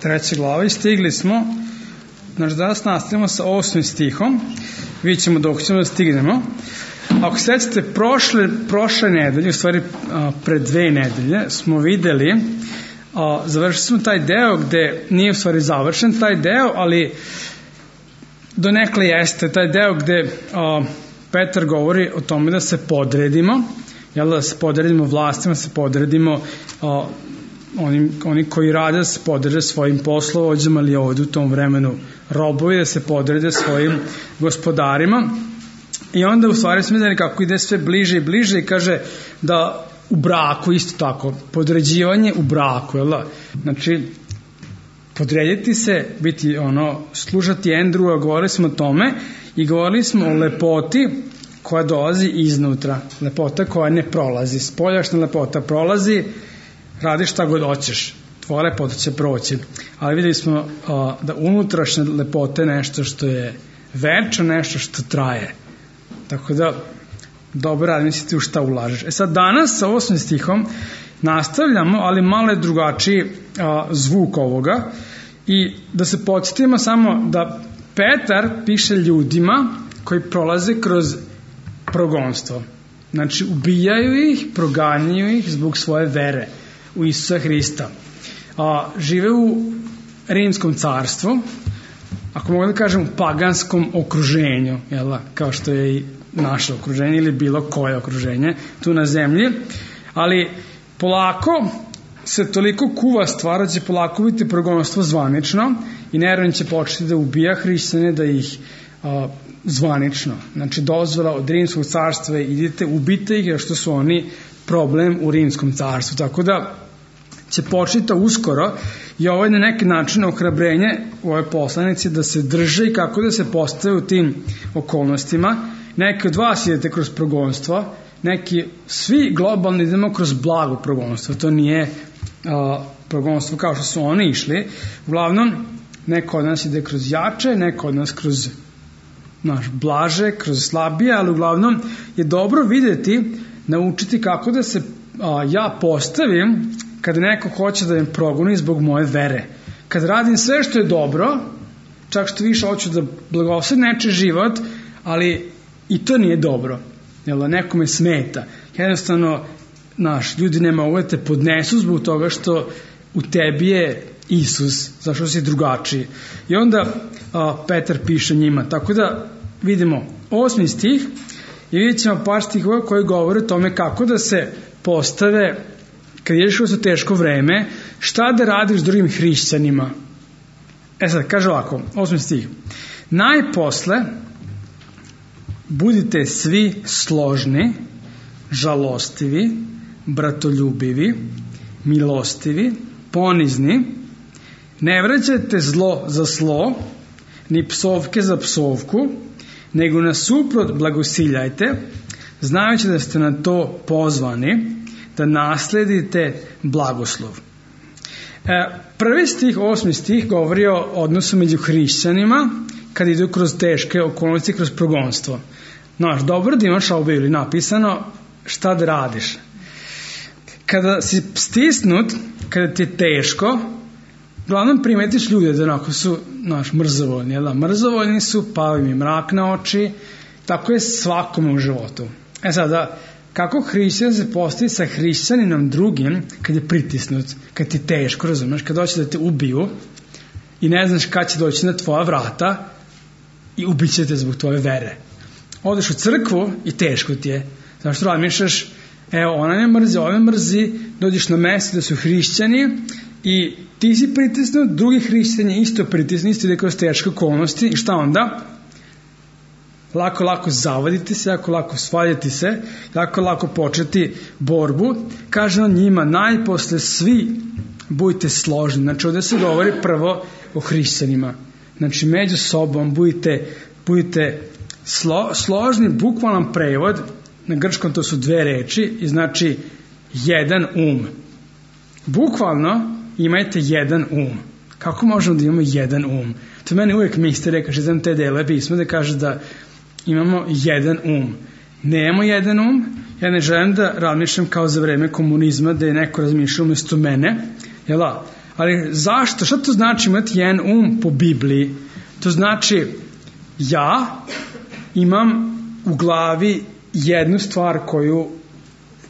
3. glava i stigli smo, znači danas nastavimo sa 8. stihom, vidjet ćemo dok ćemo da stignemo. Ako sećate, prošle nedelje, u stvari pre 2 nedelje, smo videli, završili smo taj deo gde nije u stvari završen taj deo, ali donekle jeste taj deo gde Petar govori o tome da se podredimo, da se podredimo vlastima, da se podredimo oni koji rade, da se podrede svojim poslovođama, ali ovdje u tom vremenu robovi, da se podrede svojim gospodarima. I onda u stvari smo vidjeli kako ide sve bliže i bliže i kaže da u braku isto tako, podređivanje u braku, znači podrediti se, biti slušati jedan druga, govorili smo o tome i govorili smo o lepoti koja dolazi iznutra, lepota koja ne prolazi, spoljašnja lepota prolazi, radi šta god hoćeš, tvoja lepota će proći, ali vidjeli smo da unutrašnja lepota je nešto što je večno, nešto što traje, tako da dobro razmislite u šta ulažeš. Sad danas sa 8. stihom nastavljamo, ali malo je drugačiji zvuk ovoga i da se podsjetimo samo da Petar piše ljudima koji prolaze kroz progonstvo, znači ubijaju ih, proganjaju ih zbog svoje vere u Isusa Hrista, žive u Rimskom carstvu, ako mogu da kažem u paganskom okruženju, kao što je i naše okruženje ili bilo koje okruženje tu na zemlji, ali polako se toliko kuva stvar da će polako biti progonstvo zvanično i Neron će početi da ubija hrišćane, da ih zvanično, znači dozvola od Rimskog carstva, idite, ubite ih jer što su oni problem u Rimskom carstvu, tako da će početi uskoro i ovo je na neki način ohrabrenje u ovoj poslanici da se drže i kako da se postave u tim okolnostima. Neki od vas idete kroz progonstvo, neki, svi globalno idemo kroz blago progonstvo, to nije progonstvo kao što su oni išli, uglavnom neko od nas ide kroz jače, neko od nas kroz blaže, kroz slabije, ali uglavnom je dobro videti, naučiti kako da se ja postavim kada neko hoće da me progoni zbog moje vere. Kad radim sve što je dobro, čak što više hoću da blagoslovim nečiji život, ali i to nije dobro. Nekome smeta. Jednostavno, ljudi ne mogu da te podnesu zbog toga što u tebi je Isus, zašto si drugačiji. I onda Petar piše njima. Tako da vidimo 8. stih i vidjet ćemo par stihova koji govore o tome kako da se postave kad ideš kroz teško vreme, šta da radiš s drugim hrišćanima. Sad, kaže ovako, 8. stih. Najposle budite svi složni, žalostivi, bratoljubivi, milostivi, ponizni, ne vraćajte zlo za zlo, ni psovke za psovku, nego nasuprot blagosiljajte, znajući da ste na to pozvani, da nasledite blagoslov. Prvi stih, 8. stih, govori o odnosu među hrišćanima kad idu kroz teške okolnosti, kroz progonstvo. Dobro da imaš u Bibliji napisano šta da radiš. Kada si stisnut, kada ti je teško, uglavnom primetiš ljude da onako su mrzovoljni. Mrzovoljni su, pao im je mrak na oči, tako je svakome u životu. Sada, kako hrišćan se postavi sa hrišćaninom drugim kad je pritisnut, kad ti je teško, razumeš, kad hoće da te ubiju i ne znaš kad će doći na tvoja vrata i ubit će te zbog tvoje vere. Odeš u crkvu i teško ti je. Zašto razmišljaš, ona me mrzi, ove mrzi, dođeš na mesto da su hrišćani i ti si pritisnut, drugi hrišćani isto pritisnut, isto ide kroz teške okolnosti i šta onda? Lako zavaditi se, lako svaljati se, lako početi borbu. Kaže on njima, najposle svi budite složni. Znači ovdje se govori prvo o hrišćanima. Znači među sobom budite složni, bukvalan prevod, na grčkom to su 2 reči i znači jedan bukvalno imajte jedan kako možemo da imamo jedan to meni uvijek mistere, kaže znam te dele pisma da kaže da imamo jedan nemamo jedan ja ne želim da razmišljam kao za vreme komunizma da je neko razmišljao umjesto mene, Ali zašto? Šta to znači imati jedan um po Bibliji? To znači ja imam u glavi jednu stvar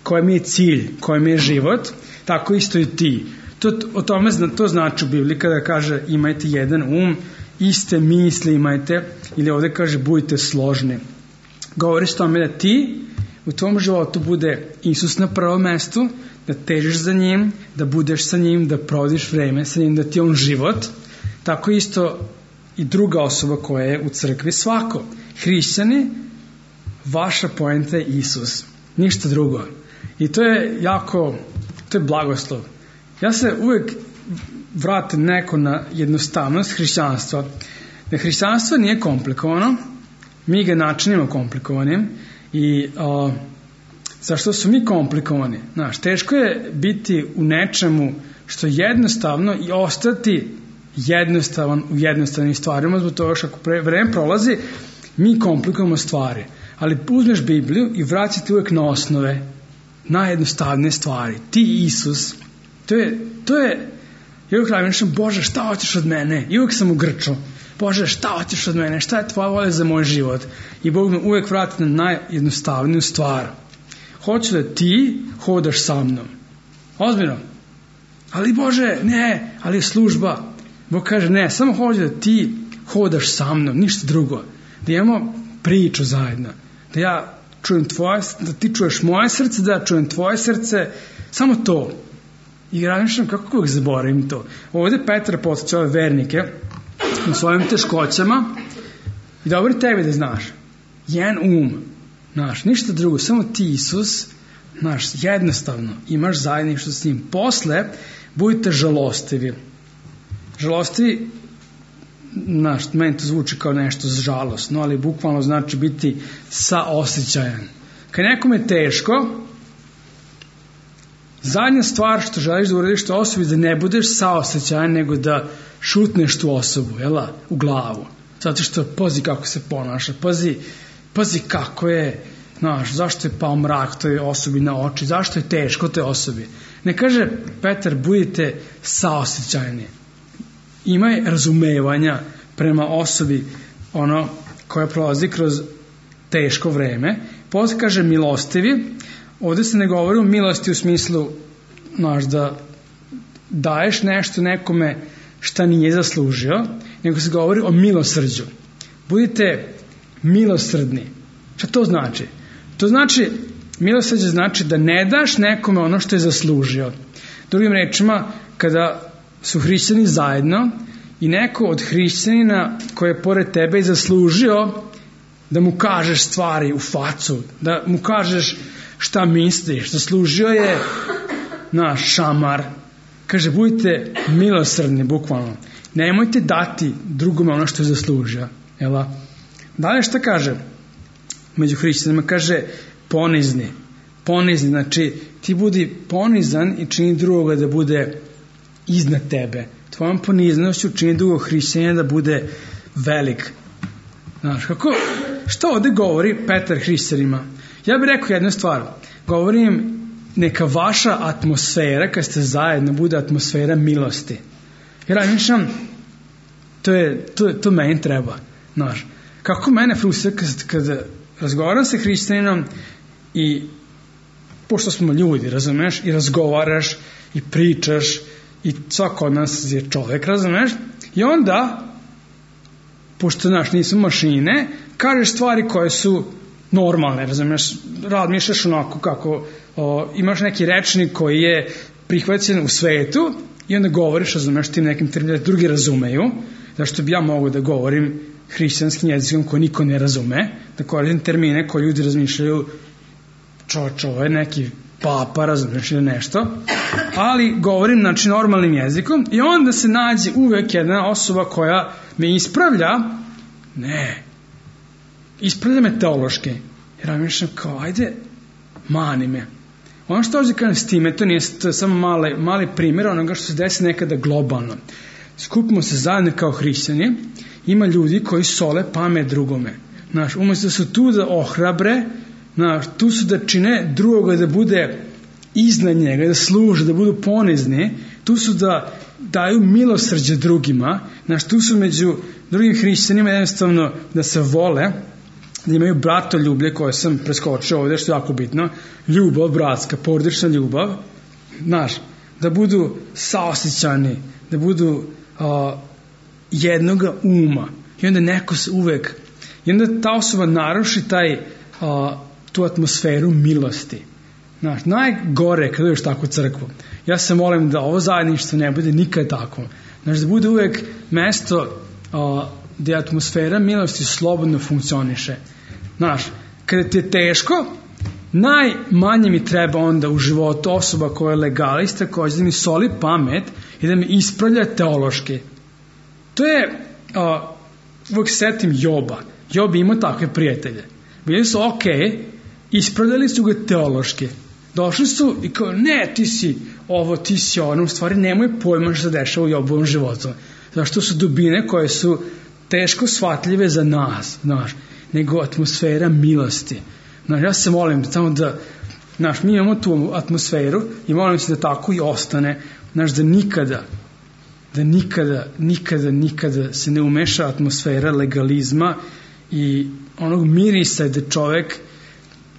koja mi je cilj, koja mi je život, tako isto i ti. To znači u Bibliji kada kaže imajte jedan um, iste misli imajte, ili ovdje kaže budite složni. Govori s tome da ti u tvom životu bude Isus na prvom mestu, da težiš za njim, da budeš sa njim, da provodiš vreme sa njim, da ti je on život. Tako isto i druga osoba koja je u crkvi, svako. Hrišćani, vaša poenta je Isus, ništa drugo. I to je to je blagoslov. Ja se uvijek vratim neko na jednostavnost hrišćanstva. Da hrišćanstvo nije komplikovano, mi ga načinimo komplikovanim i zašto su mi komplikovani? Znaš, teško je biti u nečemu što je jednostavno i ostati jednostavan u jednostavnim stvarima, zbog toga što ako vreme prolazi, mi komplikujemo stvari. Ali uzmeš Bibliju i vraćate uvijek na osnove, najjednostavnije stvari. Ti Isus, to je i uvijek razmišljam, Bože, šta hoćeš od mene? I uvijek sam u grču. Bože, šta hoćeš od mene? Šta je tvoja volja za moj život? I Bog me uvijek vrati na najjednostavniju stvar. Hoću da ti hodaš sa mnom. Ozbiljno. Ali Bože, ne, ali je služba. Bog kaže, ne, samo hoću da ti hodaš sa mnom, ništa drugo. Da imamo priču zajedno. Da ja čujem da ti čuješ moje srce, da ja čujem tvoje srce. Samo to. I razmišljam kako uvijek zaboravim to. Ovdje Petar podsjeća ove vernike u svojim teškoćama i dobro tebi da znaš. Jedan um, znaš, ništa drugo, samo ti Isus, znaš, jednostavno imaš zajedništvo s njim. Posle budite žalostivi. Žalostivi, znaš, meni to zvuči kao nešto žalosno, ali bukvalno znači biti saosećajan. Kad nekom je teško, zadnja stvar što želiš da uradiš to osobi da ne budeš saosećajan, nego da šutneš tu osobu, jela, u glavu. Zato što pazi kako se ponaša, pazi kako je, znaš, zašto je pao mrak toj osobi na oči, zašto je teško toj osobi. Ne kaže Petar, budite saosećajni. Imaj razumevanja prema osobi koja prolazi kroz teško vreme. Posle kaže milostivi. Ovdje se ne govori o milosti u smislu, znaš, da daješ nešto nekome šta nije zaslužio, nego se govori o milosrđu. Budite milosrdni. Šta to znači? To znači, milosrđe znači da ne daš nekome ono što je zaslužio. Drugim rečima, kada su hrišćani zajedno i neko od hrišćanina koji je pored tebe i zaslužio da mu kažeš stvari u facu, da mu kažeš šta misliš, zaslužio je naš šamar. Kaže, budite milosrdni, bukvalno. Nemojte dati drugome ono što je zaslužio. Jela? Dalje šta kaže? Među hrišćanima kaže ponizni. Ponizni, znači ti budi ponizan i čini drugoga da bude iznad tebe. Tvojom poniznošću čini drugog hrišćanina da bude velik. Znaš, što ovdje govori Petar hrišćanima? Ja bih rekao jednu stvar. Govorim, neka vaša atmosfera, kad ste zajedno, bude atmosfera milosti. Jer razmišljam, to meni treba. Znaš, kako mene frustrira kad razgovaram sa hrišćaninom i pošto smo ljudi, razumeš, i razgovaraš i pričaš i svako od nas je čovjek, razumeš, i onda, pošto nisu mašine, kažeš stvari koje su normalne, razumiješ, razmišljaš onako kako imaš neki rečnik koji je prihvaćen u svetu i onda govoriš, razumiješ, tim nekim terminima drugi razumeju, zašto bi ja mogao da govorim hrišćanskim jezikom koji niko ne razume, da koristim termine koje ljudi razmišljaju, ovo je neki papa, razumiješ, ili nešto, ali govorim, znači, normalnim jezikom i onda se nađe uvek jedna osoba koja me ispravlja, ispravlja me teološki. Jer ja mišljam kao, ajde, mani me. Ono što ovdje kažem s time, to je samo mali primjer onoga što se desi nekada globalno. Skupimo se zajedno kao hrišćani, ima ljudi koji sole pamet drugome. Znaš, umjesto da su tu da ohrabre, znaš, tu su da čine drugoga da bude iznad njega, da služe, da budu ponizni, tu su da daju milosrđe drugima, tu su među drugim hrišćanima jednostavno da se vole, da imaju bratoljublje koje sam preskočio ovde, što je jako bitno, ljubav, bratska, porodična ljubav, da budu saosećani, da budu jednoga uma. I onda neko se uvek, i onda ta osoba naruši tu atmosferu milosti. Najgore kad uđeš takvu crkvu. Ja se molim da ovo zajedništvo ne bude nikad tako. Da bude uvek mesto gde atmosfera milosti slobodno funkcioniše. Kada ti je teško, najmanje mi treba onda u životu osoba koja je legalista, koja će da mi soli pamet i da me ispravlja teološki. To je, uvek setim Joba. Job ima takve prijatelje. Bili su ispravljali su ga teološki. Došli su i kao, ne, ti si ovo, ti si ono, u stvari nemoj pojma što se dešava u Jobovom životu. Zašto su dubine koje su teško shvatljive za nas, nego atmosfera milosti. Ja se molim samo da, mi imamo tu atmosferu i molim se da tako i ostane, da nikada se ne umeša atmosfera legalizma i onog mirisa da čovek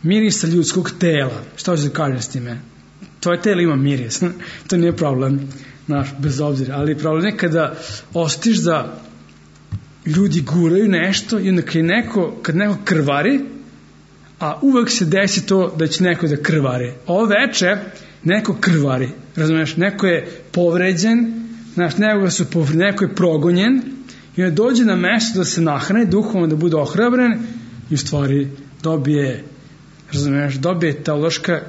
mirisa ljudskog tela. Šta hoćeš da kažem s time? Tvoje telo ima miris. To nije problem, bez obzira. Ali problem je kada osjetiš da ljudi guraju nešto i onda kad neko krvari, a uvek se desi to da će neko da krvari. Ovo veče neko krvari. Razumeš? Neko je povređen, neko je progonjen i onda dođe na mesto da se nahrani duhovno, da bude ohrabren i u stvari dobije teološka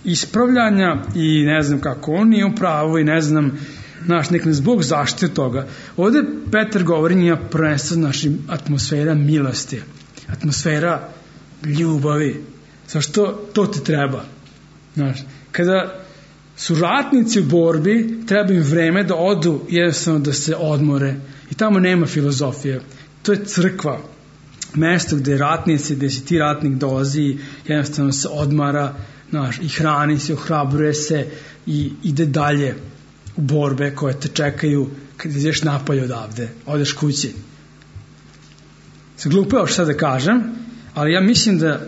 ispravljanja i ne znam kako on nije u pravu i ne znam nek nas Bog zaštite toga. Ovde Petar govori njima prvenstveno atmosfera milosti, atmosfera ljubavi. Zašto to ti treba? Kada su ratnici u borbi, treba im vreme da odu, jednostavno da se odmore. I tamo nema filozofije. To je crkva. Mesto gde ratnici, gde si ti ratnik dolazi, jednostavno se odmara, i hrani se, ohrabruje se i ide dalje u borbe koje te čekaju kad ideš napolje odavde, odeš kući. Zaglupao što sad da kažem, ali ja mislim da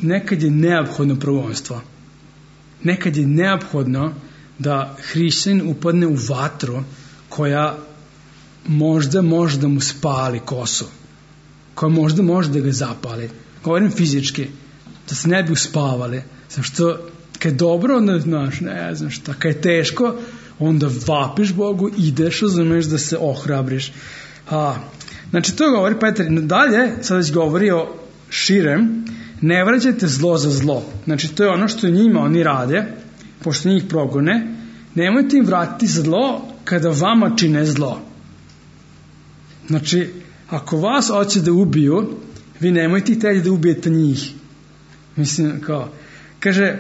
nekad je neophodno prvenstvo. Nekad je neophodno da hrišćanin upadne u vatru koja možda može da mu spali kosu, koja možda može da ga zapali. Govorim fizički, da se ne bi uspavali. Zašto kad je dobro, onda ne znam šta, kad je teško, onda vapiš Bogu, ideš, razumeš da se ohrabriš. To govori Petar. Dalje, sad već govori o širem, ne vraćajte zlo za zlo. To je ono što njima oni rade, pošto njih progone, nemojte im vratiti zlo kada vama čine zlo. Ako vas hoće da ubiju, vi nemojte htjeti da ubijete njih. Kaže,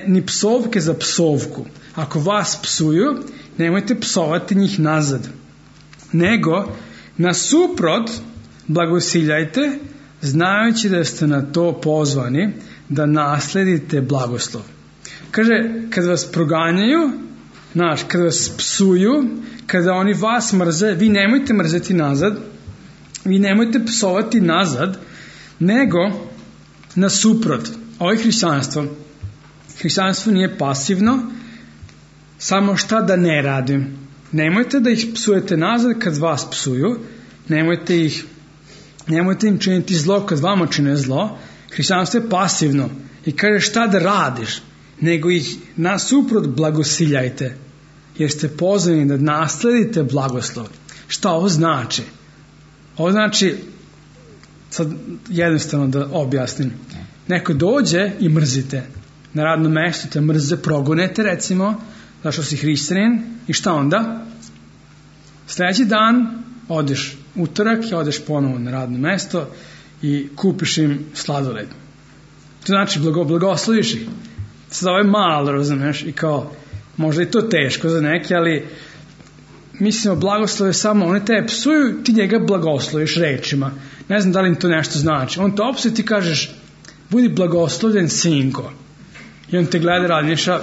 ni psovke za psovku. Ako vas psuju, nemojte psovati njih nazad. Nego, nasuprot, blagosiljajte, znajući da ste na to pozvani, da nasledite blagoslov. Kaže, kada vas proganjaju, kada vas psuju, kada oni vas mrze, vi nemojte mrzeti nazad, vi nemojte psovati nazad, nego nasuprot. Ovo je hrišćanstvo. Hrišćanstvo nije pasivno, samo šta da ne radim. Nemojte da ih psujete nazad kad vas psuju, nemojte im činiti zlo kad vama čine zlo. Hrišćanstvo je pasivno i kaže šta da radiš, nego ih nasuprot blagosiljajte, jer ste pozvani da nasledite blagoslov. Šta ovo znači? Ovo znači, sad jednostavno da objasnim, neko dođe i mrzite. Na radnom mestu te mrze, progonete recimo, zašto si hrišćanin, i šta onda? Sljedeći dan odeš utorak i odeš ponovo na radno mesto i kupiš im sladoled. To znači blagosloviš ih. Sad ovo je malo, razumeš, i kao, možda i to teško za neke, ali mislimo blagoslove samo, oni te psuju, ti njega blagosloviš rečima. Ne znam da li im to nešto znači. On te opsuje, ti kažeš, budi blagoslovljen sinko. I on te gleda, razmišlja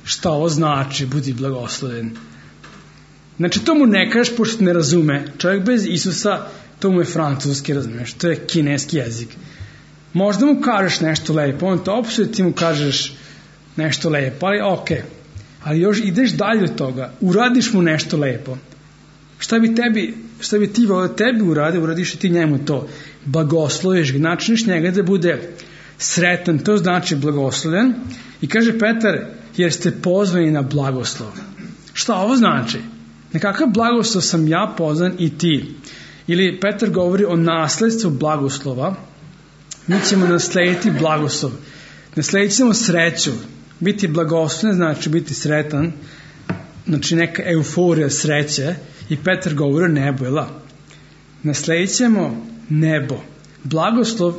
šta ovo znači, budi blagosloven. Znači, to mu ne kažeš pošto ne razume. Čovjek bez Isusa, to mu je francuski, razumiješ, to je kineski jezik. Možda mu kažeš nešto lepo, on to opsuje, ti mu kažeš nešto lepo, ali okej. Ali još ideš dalje od toga, uradiš mu nešto lepo. Šta bi ti volio tebi uradio, uradiš i ti njemu to. Blagosloviš ga, načiniš njega da bude sretan, to znači blagosloven. I kaže Petar, jer ste pozvani na blagoslov. Šta ovo znači? Na kakav blagoslov sam ja pozvan i ti? Ili Petar govori o nasledstvu blagoslova. Mi ćemo naslediti blagoslov. Nasledit ćemo sreću. Biti blagosloven znači biti sretan. Znači neka euforija sreće. I Petar govori o nebu, jel? Nasledit ćemo nebo. Blagoslov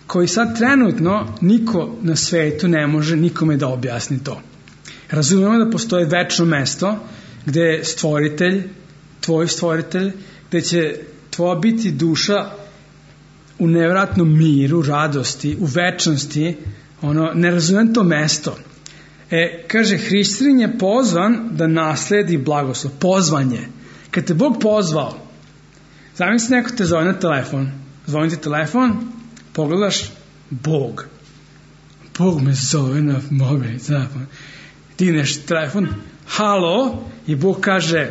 koji sad trenutno niko na svetu ne može nikome da objasni to. Razumemo da postoje večno mesto gde je stvoritelj, tvoj stvoritelj, gde će tvoja biti duša u nevratnom miru, radosti, u večnosti. Ne razumem to mesto. Kaže, hrišćanin je pozvan da nasledi blagoslov. Pozvan je. Kad te Bog pozvao, zamisli neko te zove na telefon. Zvoni ti telefon, pogledaš, Bog me zove na mobilni telefon. Digneš telefon, halo, i Bog kaže,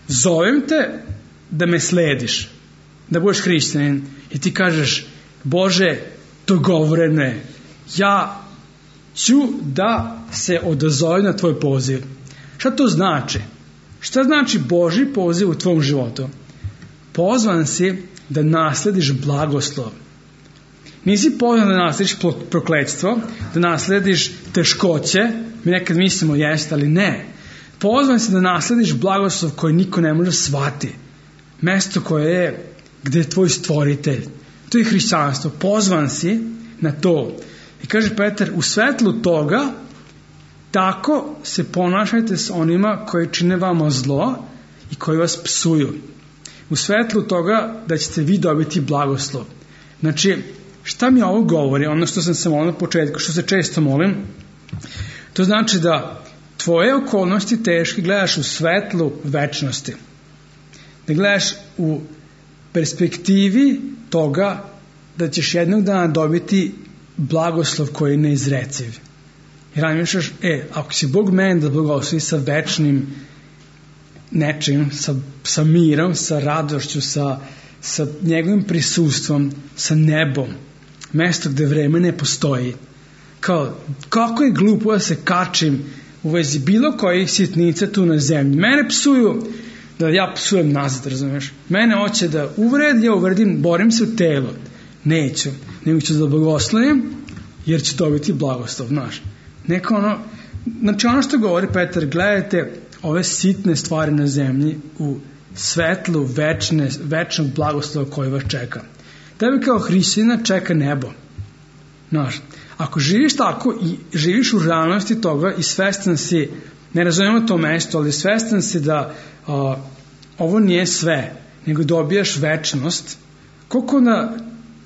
zovem te da me slediš, da budeš hrišćanin. I ti kažeš, Bože, dogovoreno je, ja ću da se odazovem na tvoj poziv. Šta to znači? Šta znači Božji poziv u tvom životu? Pozvan si da naslediš blagoslov. Nisi pozvan da naslediš prokletstvo, da naslediš teškoće, mi nekad mislimo jeste, ali ne. Pozvan si da naslediš blagoslov koji niko ne može shvati. Mesto koje je gde je tvoj stvoritelj. To je hrišćanstvo. Pozvan si na to. I kaže Petar, u svetlu toga tako se ponašajte s onima koji čine vama zlo i koji vas psuju. U svetlu toga da ćete vi dobiti blagoslov. Znači, šta mi ovo govori? Ono što sam se molio na početku, što se često molim, to znači da tvoje okolnosti teške gledaš u svetlu večnosti. Da gledaš u perspektivi toga da ćeš jednog dana dobiti blagoslov koji je neizreciv. I razmišljaš, ako će Bog mene da blagoslovi sa večnim nečim, sa mirom, sa radošću, sa njegovim prisustvom, sa nebom, mesto gde vreme ne postoji. Kako je glupo da se kačim u vezi bilo kojih sitnica tu na zemlji. Mene psuju, da ja psujem nazad, razumiješ? Mene hoće da uvredim, ja uvredim, borim se u telo. Neću, nego ću da blagoslovim, jer ću dobiti blagoslov, znaš. Znači ono što govori Petar, gledajte ove sitne stvari na zemlji u svetlu večnog blagoslova koji vas čeka. Tebe kao hrišćanina čeka nebo. Znaš, ako živiš tako i živiš u realnosti toga i svestan si, ne razumemo to mesto, ali svestan si da ovo nije sve, nego dobijaš večnost, koliko onda,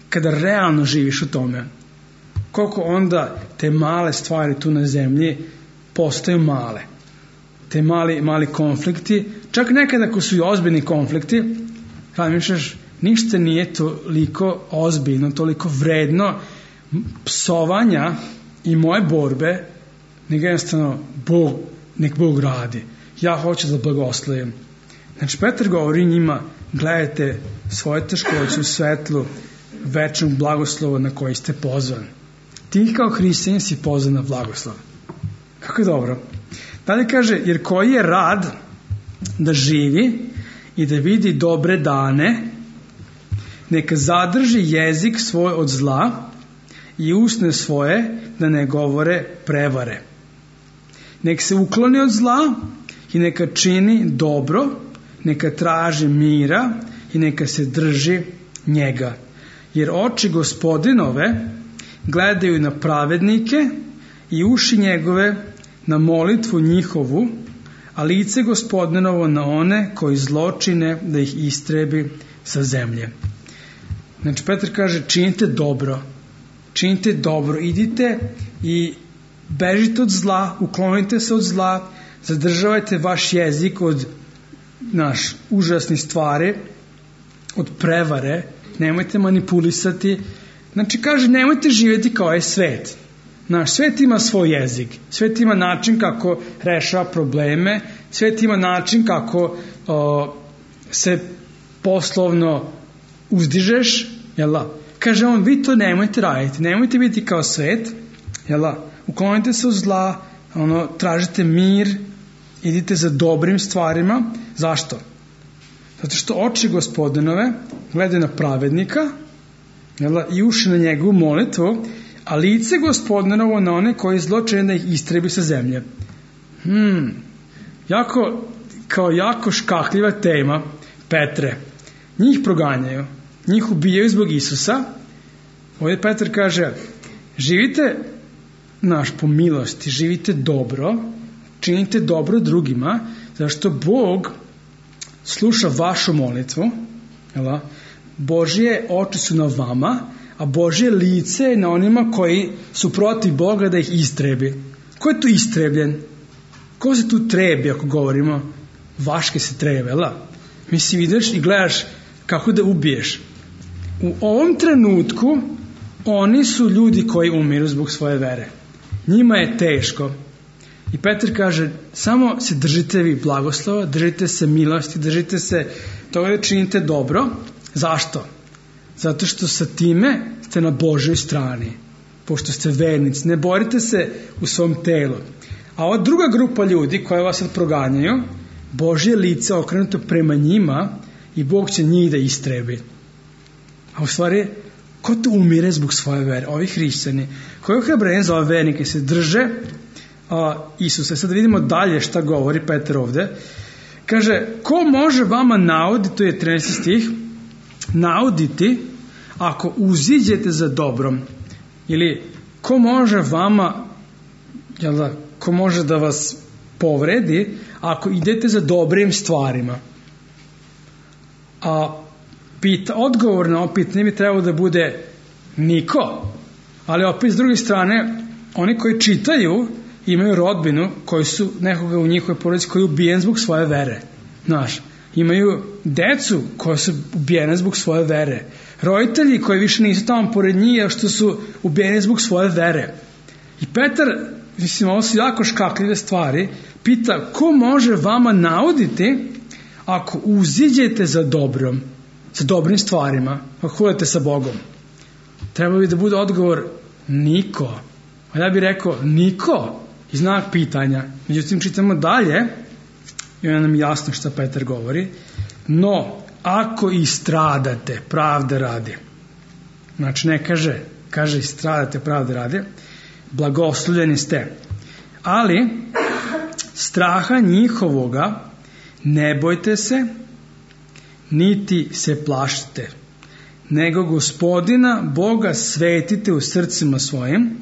kada realno živiš u tome, koliko onda te male stvari tu na zemlji postaju male. Te mali konflikti, čak nekada ako su i ozbiljni konflikti, razmišljaš, ništa nije toliko ozbiljno, toliko vredno psovanja i moje borbe, nego jednostavno nek Bog radi. Ja hoću da blagoslovim. Znači, Petar govori njima, gledajte svoje teškoće u svetlu večnog blagoslova na koji ste pozvani. Ti kao hrišćanin si pozvan na blagoslov. Kako je dobro. Dalje kaže, jer koji je rad da živi i da vidi dobre dane, neka zadrži jezik svoj od zla i usne svoje da ne govore prevare. Nek se ukloni od zla i neka čini dobro, neka traži mira i neka se drži njega. Jer oči Gospodinove gledaju na pravednike i uši njegove na molitvu njihovu, a lice Gospodinovo na one koji zločine da ih istrebi sa zemlje. Znači Petar kaže, činite dobro, činite dobro, idite i bežite od zla, uklonite se od zla, zadržavajte vaš jezik od užasnih stvari, od prevare, nemojte manipulisati. Znači, kaže, nemojte živjeti kao je svet. Naš svet ima svoj jezik, svet ima način kako rešava probleme, svet ima način kako se poslovno uzdižeš, jel'a? Kaže on, vi to nemojte raditi, nemojte biti kao svet, jel'a? Uklonite se od zla, tražite mir, idite za dobrim stvarima. Zašto? Zato što oči Gospodinove gledaju na pravednika, jel'a? I uši na njegovu molitvu, a lice Gospodinovo na one koji zlo čine da ih istrebi sa zemlje. Jako škakljiva tema, Petre. Njih proganjaju, njih ubijaju zbog Isusa. Ovdje Petar kaže, živite po milosti, živite dobro, činite dobro drugima, zašto Bog sluša vašu molitvu, jel'a? Božje oči su na vama, a Božje lice je na onima koji su protiv Boga da ih istrebi. Ko je tu istrebljen? Ko se tu trebi, ako govorimo? Vaške se trebe, jel'a? Mislim, ideš i gledaš kako da ubiješ. U ovom trenutku oni su ljudi koji umiru zbog svoje vere. Njima je teško. I Petar kaže, samo se držite vi blagoslova, držite se milosti, držite se toga da činite dobro. Zašto? Zato što sa time ste na Božoj strani, pošto ste vernici. Ne borite se u svom telu. A ova druga grupa ljudi koja vas sad proganjaju, Božje lice okrenuto prema njima i Bog će njih da istrebi. A u stvari, ko to umire zbog svoje vere? Ovi hrišćani. Koji ohrabrenje za ove vernike se drže Isusa. Sad vidimo dalje šta govori Petar ovde. Kaže, ko može vama nauditi, to je 13. stih, nauditi ako uziđete za dobrom? Ili ko može vama, ko može da vas povredi ako idete za dobrim stvarima? A odgovor na ovo pitanje bi trebalo da bude niko. Ali opet s druge strane, oni koji čitaju imaju rodbinu koji su nekoga u njihovoj porodici koji je ubijen zbog svoje vere. Imaju decu koja su ubijene zbog svoje vere. Roditelji koji više nisu tamo pored njih, što su ubijeni zbog svoje vere. I Petar, ovo su jako škakljive stvari, pita, ko može vama nauditi ako uziđete za dobrom, za dobrim stvarima, ako hodate sa Bogom? Treba bi da bude odgovor niko. A ja bih rekao niko, i znak pitanja. Međutim, čitamo dalje i onda nam jasno šta Petar govori. No, ako i stradate pravde radi, znači ne kaže i stradate pravde radi, blagoslovljeni ste. Ali straha njihovoga ne bojte se, niti se plašite, nego Gospodina Boga svetite u srcima svojim,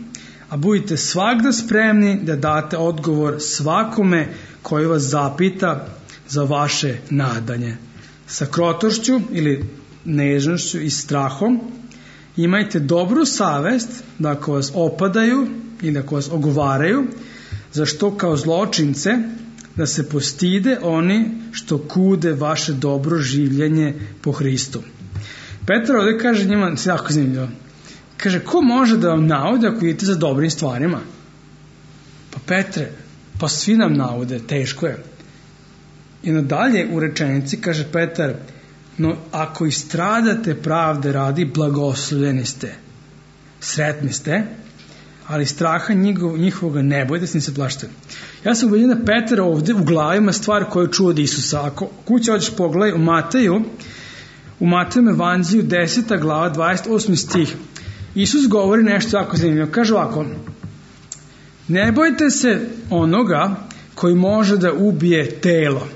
a budite svagda spremni da date odgovor svakome koji vas zapita za vaše nadanje. Sa krotošću ili nežnošću i strahom imajte dobru savest da ako vas opadaju ili ako vas ogovaraju, zašto kao zločince da se postide oni što kude vaše dobro življenje po Hristu. Petar ovdje kaže njima, jako zanimljivo, kaže, ko može da vam naude ako idete za dobrim stvarima? Pa Petre, pa svi nam naude, teško je. I nadalje u rečenici kaže Petar, no ako istradate pravde radi, blagoslovljeni ste, sretni ste, ali straha njihovoga ne bojte se, ni se plašite. Ja sam ubeđen da Petar ovdje u glavi ima stvar koju čuo od Isusa. Ako kuće hoćeš pogledaj u Mateju evanđelju 10. glava 28. stih, Isus govori nešto jako zanimljivo. Kaže ovako, ne bojte se onoga koji može da ubije telo,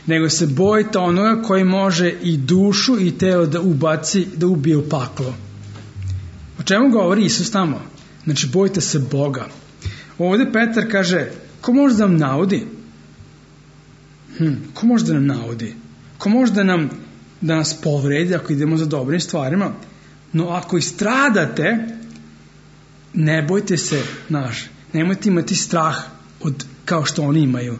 nego se bojite onoga koji može i dušu i telo da ubaci, da ubije u paklo. O čemu govori Isus tamo? Znači, bojte se Boga. Ovdje Petar kaže, ko može da nam naudi? Ko može da nam naudi? Ko može da nas povredi ako idemo za dobrim stvarima? No ako istradate ne bojte se, nemojte imati strah kao što oni imaju.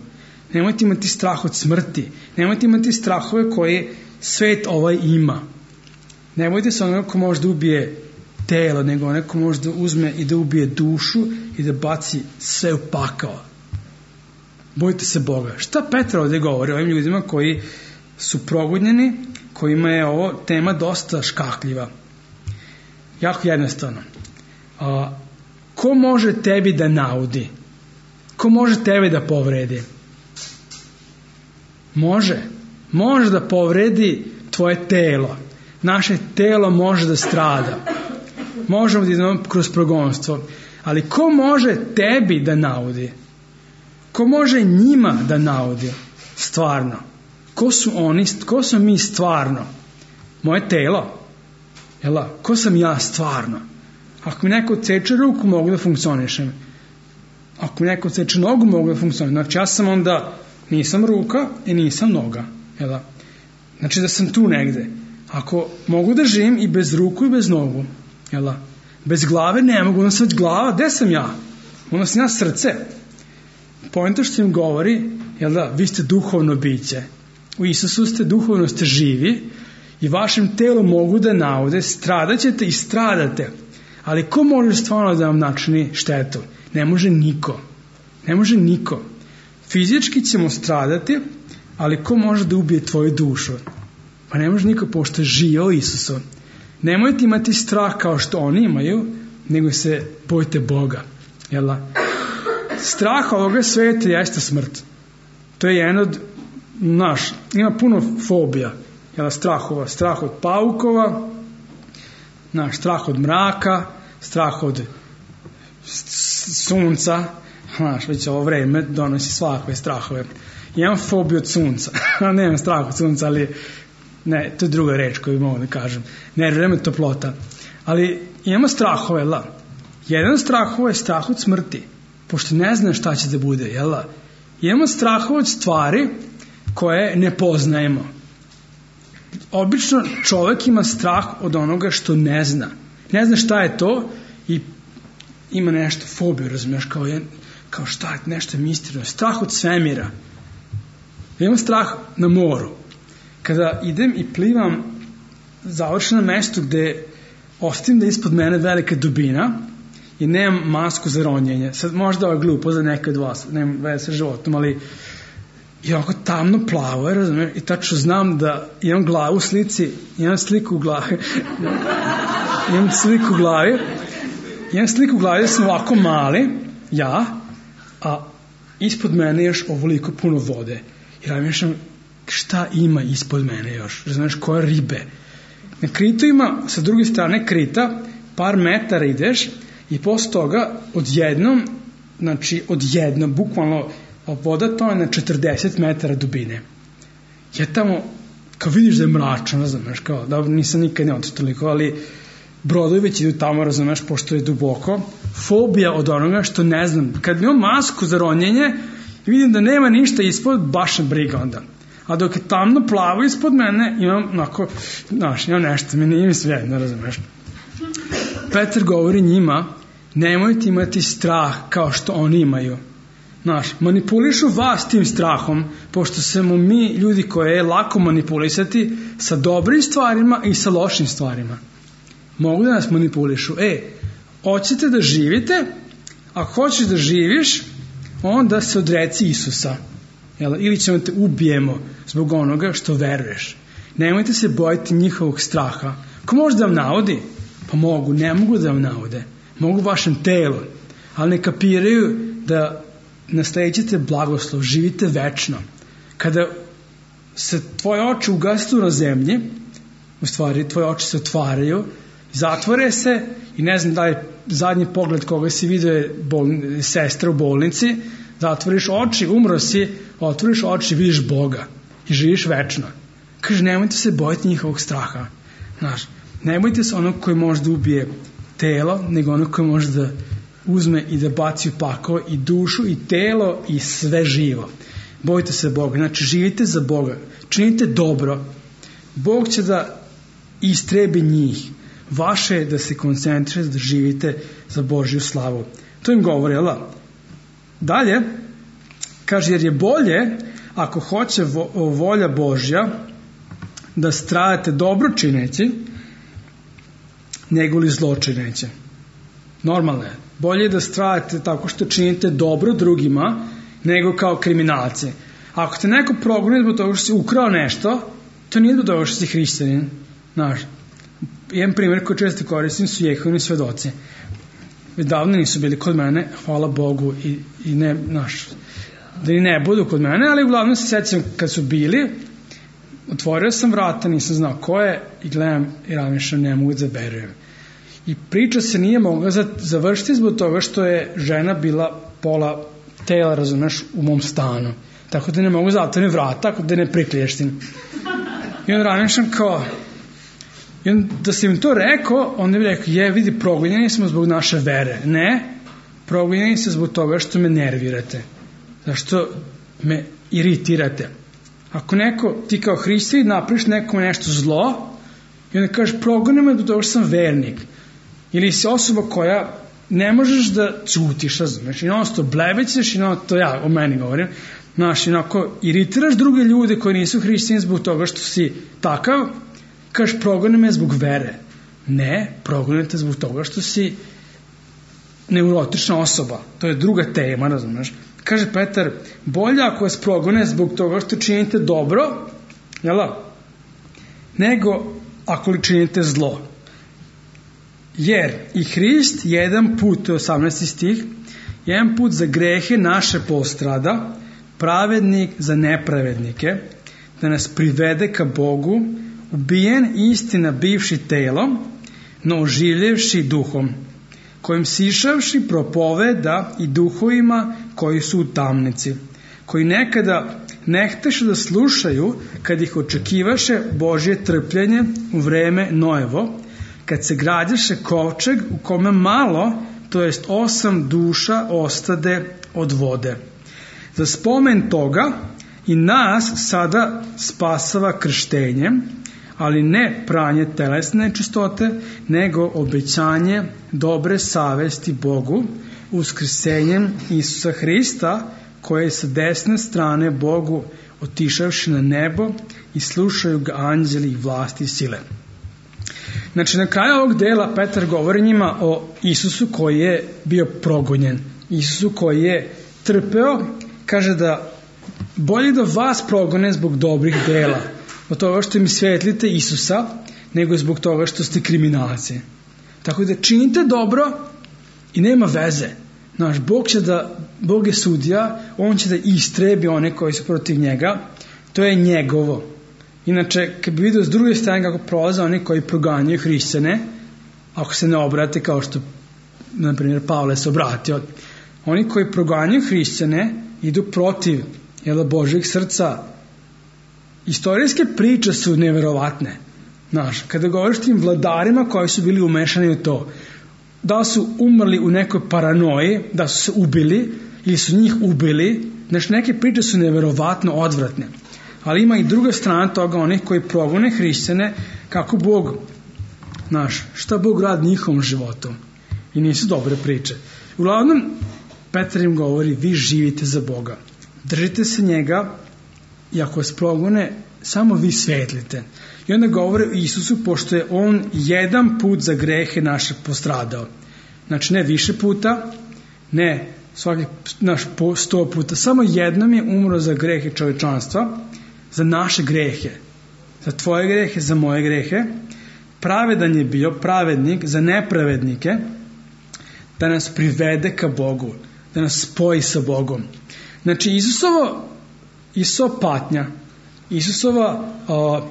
Nemojte imati strah od smrti. Nemojte imati strahove koje svet ovaj ima. Ne bojte se onoga ko može da ubije telo, nego onaj ko može da uzme i da ubije dušu i da baci sve u pakao. Bojte se Boga. Šta Petar ovdje govori o ovim ljudima koji su progonjeni, kojima je ovo tema dosta škakljiva? Jako jednostavno. Ko može tebi da naudi? Ko može tebe da povredi? Može da povredi tvoje telo. Naše telo može da strada. Možemo da idemo kroz progonstvo. Ali ko može tebi da naudi? Ko može njima da naudi? Stvarno. Ko su oni? Ko smo mi stvarno? Moje telo? Ko sam ja stvarno? Ako mi neko odseče ruku, mogu da funkcionišem. Ako mi neko odseče nogu, mogu da funkcionišem. Znači ja sam onda, nisam ruka i nisam noga. Znači da sam tu negde. Ako mogu da živim i bez ruku i bez nogu, bez glave ne mogu, onda sam već glava, gde sam ja? Onda sam ja srce. Poenta što im govori, vi ste duhovno biće. U Isusu ste, duhovno ste živi i vašem telu mogu da naude, stradaćete i stradate. Ali ko može stvarno da vam načini štetu? Ne može niko. Ne može niko. Fizički ćemo stradati, ali ko može da ubije tvoju dušu? Pa ne može niko, pošto je živio Isusu. Nemojte imati strah kao što oni imaju, nego se bojte Boga. Strah ovoga sveta jeste smrt. To je jedan od ima puno fobija. Strahova. Strah od paukova, strah od mraka, strah od sunca. Već ovo vreme donosi svakve strahove. Imam fobiju od sunca. Nemam strah od sunca, ali ne, to je druga reč koju mogu da kažem. Ne, vreme toplota. Ali imamo strahove, Jedan od strahova je strah od smrti, pošto ne zna šta će da bude, Imamo strahove od stvari koje ne poznajemo. Obično čovjek ima strah od onoga što ne zna. Ne zna šta je to i ima nešto, fobiju, razumiješ, kao šta je, nešto misterno. Strah od svemira. Imam strah na moru. Kada idem i plivam, završim na mestu gde ostavim da ispod mene velika dubina i nemam masku za ronjenje. Sad možda ovo je glupo za neke od vas, nemam veze sa životom, ali je ovako tamno plavo, razumiješ, i tačno znam da imam glavu u slici, imam sliku u glavi, imam sliku u glavi da sam ovako mali, a ispod mene još ovoliko puno vode. I razmišljam šta ima ispod mene još, razumiješ, koje ribe. Na Kritu ima, sa druge strane Krita, par metara ideš i posle toga odjednom, bukvalno voda to je na 40 metara dubine. Ja tamo, kao vidiš da je mračno, razumeš, kao, dobro, nisam nikad ne otišao toliko, ali brodovi već idu tamo, razumeš, pošto je duboko. Fobija od onoga što ne znam. Kad imam masku za ronjenje i vidim da nema ništa ispod, baš me briga onda. A dok je tamno plavo ispod mene, imam imam nešto, mi nije mi svejedno, razumeš. Petar govori njima, nemojte imati strah kao što oni imaju. Manipulišu vas tim strahom, pošto smo mi ljudi koje je lako manipulisati sa dobrim stvarima i sa lošim stvarima. Mogu da nas manipulišu. Hoćete da živite? Ako hoćeš da živiš, onda se odreci Isusa. Ili ćemo te ubijemo zbog onoga što veruješ. Nemojte se bojiti njihovog straha. Ko može da vam navodi? Pa mogu, ne mogu da vam navode. Mogu vašem telu, ali ne kapiraju da nasleđete blagoslov, živite večno. Kada se tvoje oči ugase na zemlji, u stvari tvoje oči se otvaraju, zatvore se i ne znam da je zadnji pogled koga si vidio je sestra u bolnici, zatvoriš oči, umro si, otvoriš oči, vidiš Boga i živiš večno. Kaže, nemojte se bojiti njihovog straha. Ne bojite se onog koji može da ubije telo, nego onog koji može da uzme i da baci u pakao i dušu i telo i sve živo. Bojite se Boga. Znači, živite za Boga. Činite dobro. Bog će da istrebi njih. vaše je da se koncentrišete, da živite za Božju slavu. To im govori, jel da? Dalje, kaže, jer je bolje, ako hoće volja Božja, da stradate dobro čineći, nego li zlo čineći. Normalno je. Bolje je da stradate tako što činite dobro drugima, nego kao kriminalci. Ako te neko progoni zbog toga što si ukrao nešto, to nije zbog toga što si hrišćanin. Znaš, jedan primjer koji često koristim su Jehovini svedoci. Davno nisu bili kod mene, hvala Bogu, i ne, znaš, da i ne budu kod mene, ali uglavnom se sjećam kad su bili, otvorio sam vrata, nisam znao ko je i gledam i razmišljam, ne mogu da verujem. I priča se nije mogla završiti zbog toga što je žena bila pola tela, razumeš, u mom stanu. Tako da ne mogu zatvoriti vrata, tako da ne prikliještim. I onda razmišljam kao, i onda da sam im to rekao, onda bi rekao, vidi, progonjeni smo zbog naše vere. Ne, progonjeni se zbog toga što me nervirate. Zašto me iritirate. Ako ti kao hrišćanin napraviš nekome nešto zlo, i onda kažeš, progoni me zbog toga što sam vernik. Ili si osoba koja ne možeš da ćutiš, razumeš, i non-stop blebećeš, i to ja o meni govorim, znaš, inako iritiraš druge ljude koji nisu hrišćani zbog toga što si takav, kažeš, progoni me zbog vere. Ne, progonite zbog toga što si neurotična osoba. To je druga tema, razumeš. Kaže Petar, bolje ako vas progone zbog toga što činite dobro, nego ako li činite zlo. Jer i Hrist jedan put, to je 18. stih, jedan put za grehe naše postrada, pravednik za nepravednike, da nas privede ka Bogu, ubijen istina bivši telom, no oživljevši duhom, kojim sišavši propoveda i duhovima koji su u tamnici, koji nekada ne hteše da slušaju kad ih očekivaše Božje trpljenje u vreme Noevo, kad se građaše kovčeg u kome malo, to jest 8 duša ostade od vode. Za spomen toga i nas sada spasava krštenjem, ali ne pranje telesne čistote, nego obećanje dobre savesti Bogu, uskrsenjem Isusa Hrista, koji je sa desne strane Bogu otišavši na nebo i slušaju ga anđeli i vlasti i sile. Znači, na kraju ovog dela Petar govori njima o Isusu koji je bio progonjen, Isusu koji je trpeo, kaže da bolje da vas progone zbog dobrih dela, od toga što im svetlite Isusa, nego zbog toga što ste kriminalci. Tako da činite dobro i nema veze. Znaš, Bog je sudija, on će da istrebi one koji su protiv njega, to je njegovo. Inače, kad bi vidio s druge strane kako prolaze oni koji proganjaju hrišćane, ako se ne obrate kao što, na primjer, Pavle se obratio, oni koji proganjaju hrišćane idu protiv Božjeg srca. Istorijske priče su neverovatne. Znaš, kada govoriš tim vladarima koji su bili umešani u to, da su umrli u nekoj paranoji, da su se ubili ili su njih ubili, znači neke priče su neverovatno odvratne. Ali ima i druga strana toga, onih koji progone hrišćane, kako Bog, znaš, šta Bog radi njihovom životom. I nisu dobre priče. Uglavnom, Petar im govori, vi živite za Boga. Držite se njega i ako vas progone, samo vi svetlite. I onda govore o Isusu, pošto je on jedan put za grehe naše postradao. Znači, ne više puta, ne svaki 100 puta, samo jednom je umro za grehe čovečanstva, za naše grehe, za tvoje grehe, za moje grehe. Pravedan je bio, pravednik za nepravednike, da nas privede ka Bogu, da nas spoji sa Bogom. Znači, Isusova patnja,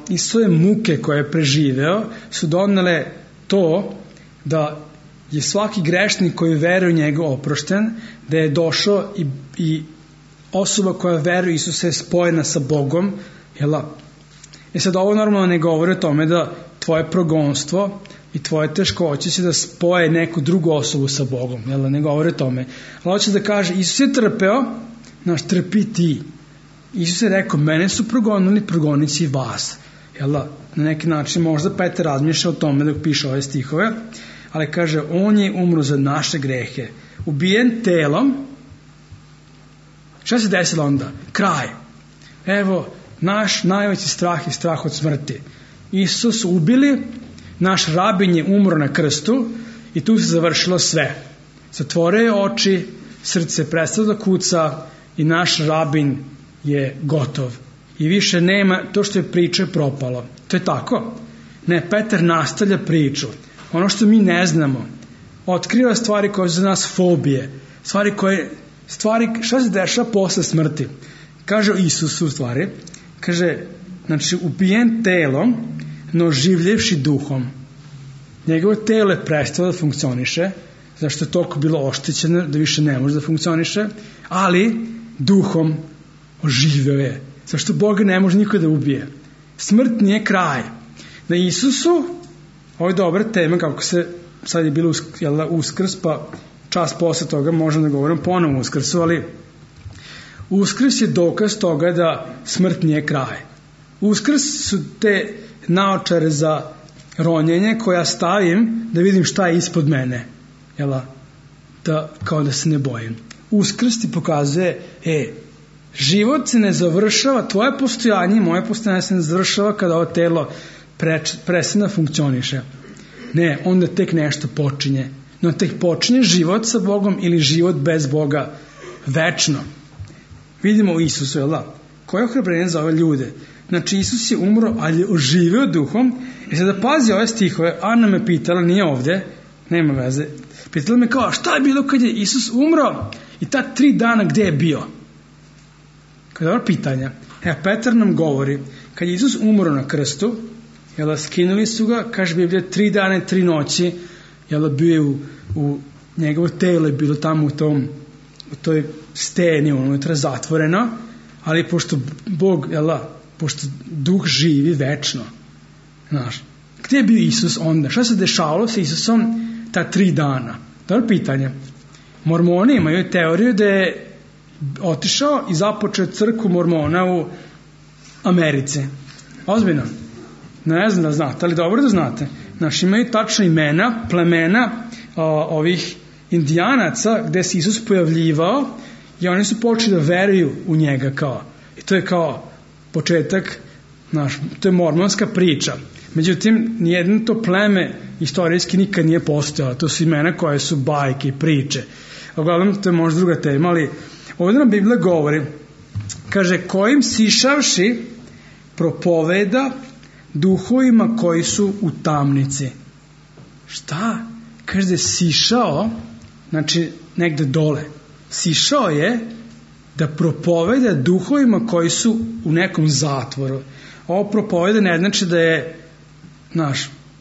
Isusove muke koje je preživeo su donele to da je svaki grešnik koji veruje u njega oprošten, da je došao i osoba koja veruje Isusa je spojena sa Bogom. Sad ovo normalno ne govori o tome da tvoje progonstvo i tvoje teškoće će da spoje neku drugu osobu sa Bogom. Ne govori o tome. Ali hoće da kaže, Isus je trpeo, trpi ti. Isus je rekao, mene su progonili, progonit će i vas. Na neki način možda Petar razmišlja o tome dok piše ove stihove, ali kaže, on je umro za naše grehe, ubijen telom. Šta se desilo onda? Kraj. Evo, naš najveći strah je strah od smrti. Isus ubili, naš rabin je umro na krstu i tu se završilo sve. Zatvorio je oči, srce prestalo da kuca i naš rabin je gotov. I više nema, to što je priča propalo. To je tako. Ne, Petar nastavlja priču. Ono što mi ne znamo, otkriva stvari koje su za nas fobije, šta se dešava posle smrti. Kaže Isusu stvari, kaže, znači ubijen telom, no življevši duhom. Njegovo telo je prestalo da funkcioniše, zašto je toliko bilo oštećeno da više ne može da funkcioniše, ali duhom oživio je. Zašto Boga ne može niko da ubije. Smrt nije kraj. Na Isusu, ovo je dobra tema, kako se, sad je bilo Uskrs, pa čas posle toga možemo da govorim ponovo Uskrsu, ali Uskrs je dokaz toga da smrt nije kraj. Uskrs su te naočare za ronjenje koja stavim da vidim šta je ispod mene. Kao da se ne bojim. Uskrs ti pokazuje, život se ne završava, tvoje postojanje i moje postojanje se ne završava kada ovo telo prestane da funkcioniše. Ne, onda tek nešto počinje. No tek počinje život sa Bogom ili život bez Boga večno. Vidimo u Isusu, koje ohrabrenje za ove ljude. Znači, Isus je umro, ali je oživio duhom. I sada pazi ove stihove. Ana me pitala, nije ovde, nema veze. Pitala me kao, šta je bilo kad je Isus umro i ta 3 dana gde je bio? Kada je ovo pitanja. Petar nam govori, kad je Isus umro na krstu, skinuli su ga, kaže Biblija, 3 dana i 3 noći, bio je u njegovo telo je bilo tamo u toj steni unutra zatvoreno, ali pošto Bog, pošto duh živi večno, znaš, gde je bio Isus onda? Šta se dešavalo sa Isusom ta 3 dana? Dobro pitanje. Mormoni imaju teoriju da je otišao i započeo crkvu mormona u Americi. Ozbiljno. Ne znam da znate, ali dobro da znate. Znaš, imaju tačno imena, plemena ovih indijanaca gde se Isus pojavljivao i oni su počeli da veruju u njega kao. I to je kao početak, znaš, to je mormonska priča. Međutim, nijedno to pleme istorijski nikad nije postojalo. To su imena koje su bajke i priče. Uglavnom, to je možda druga tema, ali ovdje nam Biblija govori, kaže, kojim sišavši propoveda duhovima koji su u tamnici. Šta? Kaže da je sišao, znači negde dole. Sišao je da propoveda duhovima koji su u nekom zatvoru. Ovo propoveda ne znači da je,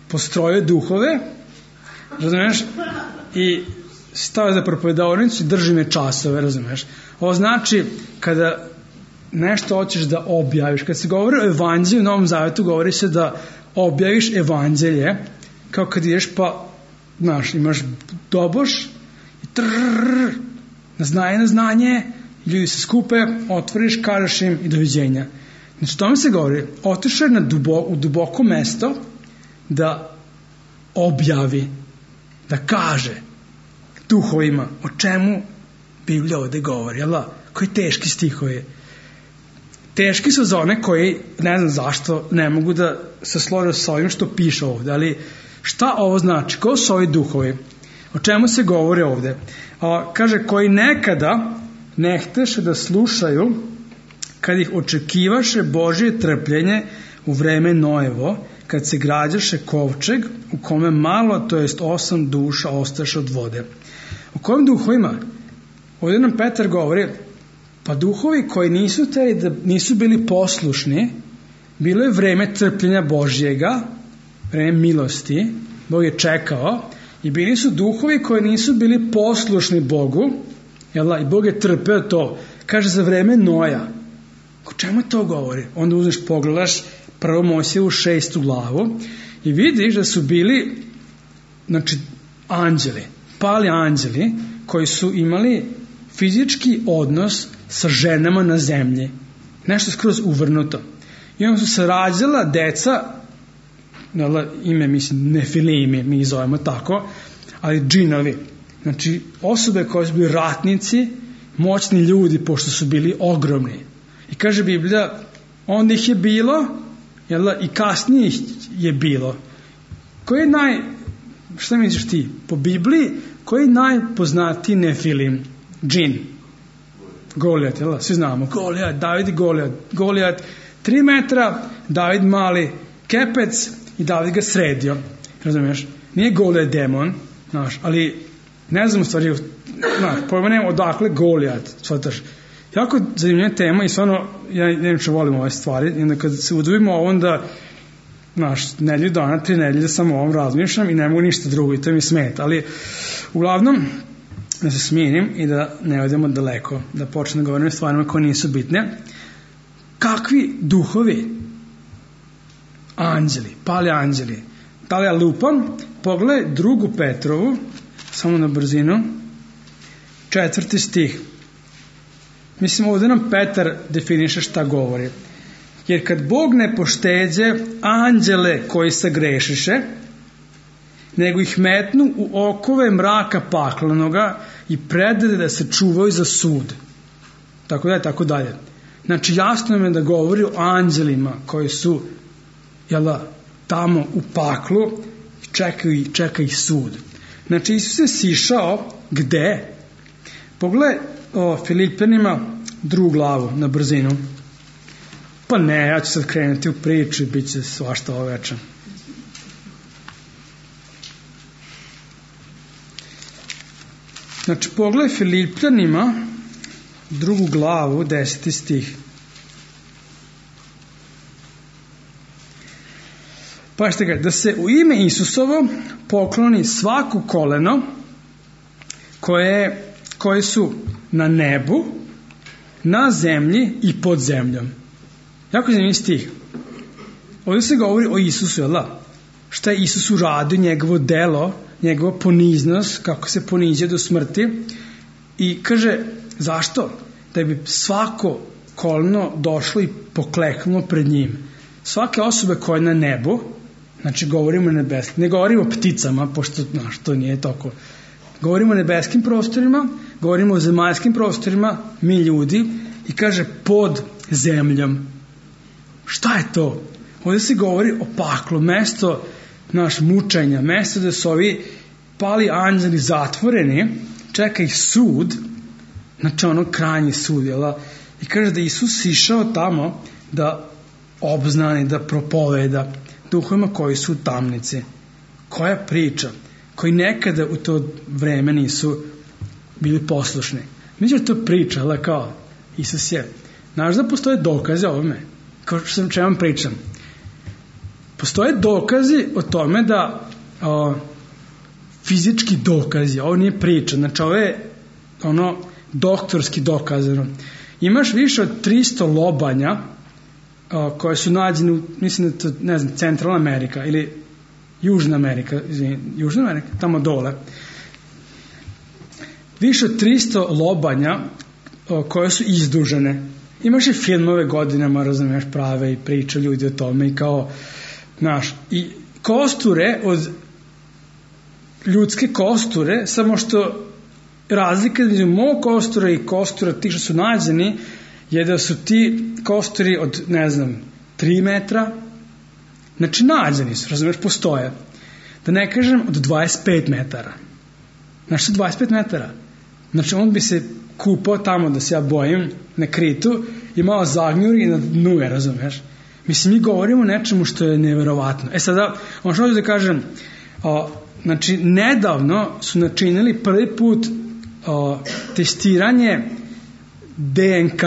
postrojio duhove, razumiješ, i stavio za propovedavnicu i drži me časove, razumiješ. Ovo znači kada nešto hoćeš da objaviš. Kad se govori o evanđelju u Novom Zavetu, govori se da objaviš evanđelje, kao kad ideš pa, imaš doboš i na znanje, ljudi se skupe, otvoriš, kažeš im i doviđenja. Znači, tome se govori, otišao je u duboko mesto da objavi, da kaže duhovima o čemu Biblija ovde govori, koji teški stihovi. Teški su za one koji, ne znam zašto, ne mogu da se slože sa ovim što piše ovde, ali šta ovo znači? Ko su ovi duhovi? O čemu se govori ovde? Kaže, koji nekada ne hteše da slušaju kad ih očekivaše Božje trpljenje u vreme Noevo, kad se građaše kovčeg u kome malo, to jest 8 duša ostaše od vode. O kojim duhovima? Ovdje nam Petar govori, pa duhovi koji nisu bili poslušni, bilo je vreme trpljenja Božjega, vreme milosti, Bog je čekao, i bili su duhovi koji nisu bili poslušni Bogu, i Bog je trpeo to, kaže za vreme Noja. O čemu to govori? Onda uzmeš, pogledaš 1. Mojsijevu 6. glavu i vidiš da su bili, anđeli, pali anđeli koji su imali fizički odnos sa ženama na zemlji. Nešto skroz uvrnuto. i onda su se rađala deca, ime mislim Nefilimi, mi ih zovemo tako, ali džinovi. Znači osobe koje su bili ratnici, moćni ljudi, pošto su bili ogromni. I kaže Biblija, onda ih je bilo, i kasnije ih je bilo. Koji je šta misliš ti? Po Bibliji, koji je najpoznatiji Nefilim? Džin. Golijat, svi znamo. Golijat, David i Golijat. Golijat 3 metra, David mali kepec i David ga sredio. Razumiješ? Nije Golijat demon, ali ne znam u stvari, pojma nema odakle Golijat, shvataš. Jako zanimljiva tema i stvarno, ja neče volim ove stvari, i onda kad se uduvimo onda, nedelju dana, 3 nedelje samo o ovom razmišljam i ne mogu ništa drugo i to mi smeta, ali uglavnom da se smirim i da ne odemo daleko, da počnem da govorim o stvarima koje nisu bitne. Kakvi duhovi? Anđeli, pali anđeli. Da li ja lupam? Pogledaj 2. Petrovu, samo na brzinu, 4. stih. Mislim, ovdje nam Petar definiše šta govori. Jer kad Bog ne pošteđe anđele koji se grešiše, nego ih metnu u okove mraka paklenoga i predade da se čuvaju za sud. Tako dalje. Znači, jasno je da govori o anđelima koji su tamo u paklu i čeka ih sud. Znači, Isus je sišao gde? Pogledaj o Filipljanima 2. glavu na brzinu. Pa ne, ja ću sad krenuti u priču i bit će svašta ovo večer. Znači, pogledaj Filipljanima 2. glavu, 10. stih. Pažite ga, da se u ime Isusovo pokloni svako koleno koje su na nebu, na zemlji i pod zemljom. Jako zanimljiv stih. Ovdje se govori o Isusu, šta je Isus uradio, njegovo delo, njegova poniznost, kako se ponizio do smrti. I kaže, zašto? Da bi svako koleno došlo i pokleknulo pred njim. Svake osobe koje je na nebu, znači govorimo o nebeskim, ne govorimo o pticama, pošto to nije toliko. Govorimo o nebeskim prostorima, govorimo o zemaljskim prostorima, mi ljudi, i kaže pod zemljom. Šta je to? Ovdje se govori o paklu, mesto mučenja, mesto da su ovi pali anđeli zatvoreni, čeka ih sud, znači krajnji sud, i kaže da Isus išao tamo da obznani, da propoveda duhovima koji su u tamnici. Koja priča? Koji nekada u to vreme nisu bili poslušni. Međutim, to priča, kao Isus je. Znaš da postoje dokaze o ovome? Kao što sam vam pričam. Postoje dokazi o tome da fizički dokazi, ovo nije priča, znači ovo je doktorski dokazano. Imaš više od 300 lobanja koje su nađene, mislim da to, ne znam, Centralna Amerika ili Južna Amerika, tamo dole. Više od 300 lobanja koje su izdužene. Imaš i filmove godinama, razumiješ, prave i priča ljudi o tome i kao, i kosture od ljudske kosture, samo što razlika između mog kostura i kostura tih što su nađeni je da su ti kosturi od, 3 metra, znači nađeni su, razumiješ, postoje. Da ne kažem od 25 metara. Znači što 25 metara? Znači on bi se kupao tamo, da se ja bojim, na Kritu i malo zagnjuri i na dnu je, razumiješ? Mislim, mi govorimo o nečemu što je neverovatno. Sada, ono što hoću da kažem, znači, nedavno su načinili prvi put testiranje DNK,